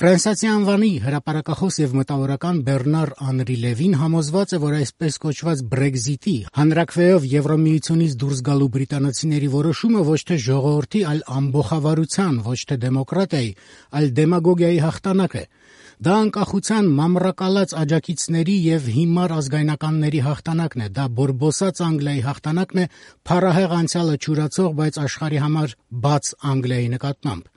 Ֆրանսիացի անվանի հրապարակախոս եւ մտավորական Բեռնար Անրի Լևին համոզված է, որ այսպես կոչված Brexit-ի հանրաքվեով Եվրամիությունից դուրս գալու բրիտանացիների որոշումը ոչ թե ժողովրդի, այլ ամբողջավարության, ոչ թե դեմոկրատիայի, այլ դեմագոգիայի հաղթանակ է։ Դա անկախության մամռակալած աջակիցների եւ հիմար ազգայնականների հաղթանակն է, դա բորբոսած Անգլիայի հաղթանակն է, փառահեղ անցյալը չուրացող, բայց աշխարհի համար բաց Անգլիայի նկատմամբ։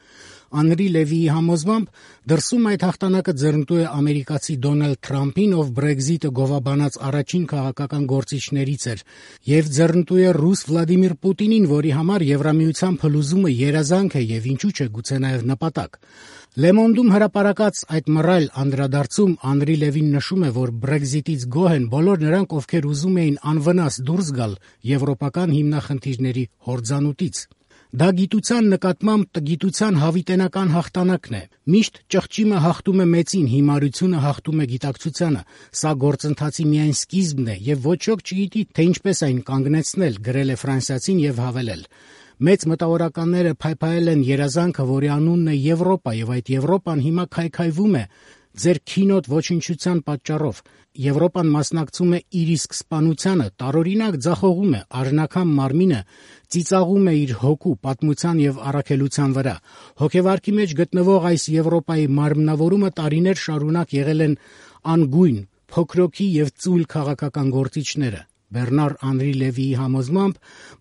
Անրի Լևիի համոզմամբ դրսում այդ հաղթանակը ձեռնտու է ամերիկացի Դոնալդ Թրամփին, ով Brexit-ը գովաբանած առաջին քաղաքական գործիչներից էր, եւ ձեռնտու է ռուս Վլադիմիր Պուտինին, որի համար Եվրամիության փլուզումը երազանք է եւ ինչու՞ չէ գուցե նաեւ նպատակ։ Le Monde-ում հրապարակած այդ մռայլ անդրադարձում Անրի Լևին նշում է, որ Brexit-ից գոհ են բոլոր նրանք, ովքեր ուզում էին անվնաս դուրս գալ եվրոպական հիմնախնդիրների հորձանուտից։ Դա գիտության նկատմամբ տգիտության հավիտենական հաղթանակն է։ Միշտ ճղճիմը հաղթում է մեծին, հիմարությունը հաղթում է գիտակցությանը։ Սա գործընթացի միայն սկիզբն է եւ ոչ ոք չգիտի, թե ինչպես այն կանգնեցնել, գրել է ֆրանսիացին եւ հավելել. Մեծ մտավորականները փայփայել են երազանքը, որի անունն է Եվրոպա, եւ այդ Եվրոպան հիմա քայքայվում է ձեր քինոտ ոչնչության պատճառով։ Եվրոպան մասնակցում է իր իսկ սպանությանը, տարօրինակ ձախողում է, արժանական մարմինը ծիծաղում է իր հոգու, պատմության եւ առաքելության վրա։ Հոգեվարքի մեջ գտնվող այս Եվրոպայի մարմնավորումը տարիներ շարունակ եղել են անգույն, փոքրոքի եւ ծույլ քաղաքական գործիչները։ Բեռնար Անրի Լևիի համոզմամբ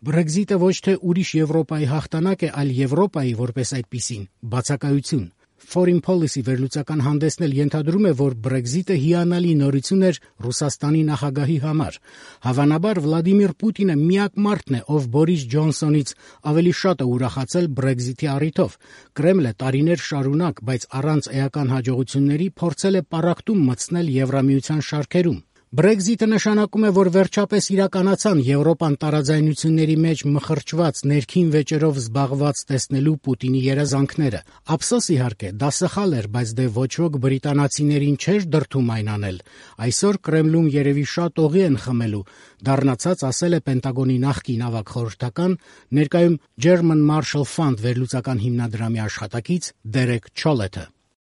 Brexit-ը ոչ թե ուրիշ Եվրոպայի հաղթանակ է, այլ Եվրոպայի որպես այդպիսին բացակայություն։ Foreign Policy վերլուծական հանդեսն էլ ենթադրում է, որ Brexit-ը հիանալի նորություն էր Ռուսաստանի նախագահի համար։ Հավանաբար Վլադիմիր Պուտինը միակ մարդն է, ով Բորիս Ջոնսոնից ավելի շատ է ուրախացել Brexit-ի առիթով։ Կրեմլը տարիներ շարունակ, բայց առանց էական հաջողությունների փորձել է պառակտում մտցնել Եվրամիության շարքերում։ Brexit-ը նշանակում է, որ վերջապես իրականացան Եվրոպան տարաձայնությունների մեջ մխրճված ներքին վեճերով զբաղված տեսնելու Պուտինի երազանքները։ Ափսոս իհարկե, դա սխալ էր, բայց դե ոչ ոք բրիտանացիներին չէր դրդում այն անել։ Այսօր Կրեմլում երևի շատ օղի են խմելու, դառնացած ասել է Պենտագոնի նախկին ավագ խորհրդական, ներկայում German Marshall Fund վերլուծական հիմնադրամի աշխատակից Դերեկ Չոլեթը։